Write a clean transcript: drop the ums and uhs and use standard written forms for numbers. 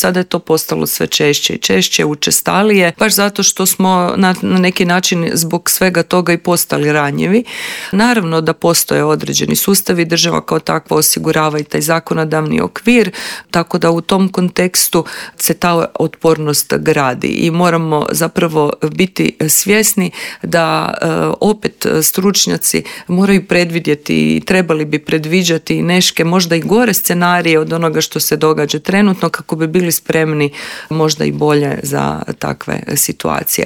sada je to postalo sve češće i češće, učestalije, baš zato što smo na neki način zbog svega toga i postali ranjivi. Naravno da postoje određeni sustavi, država kao takva osigurava i taj zakonodavni okvir, tako da u tom kontekstu se ta otpornost gradi i moramo zapravo biti svjesni da opet stručnjaci moraju predvidjeti i trebali bi predviđati neke možda i gore scenarije od onoga što se događa trenutno kako bi bili spremni možda i bolje za takve situacije.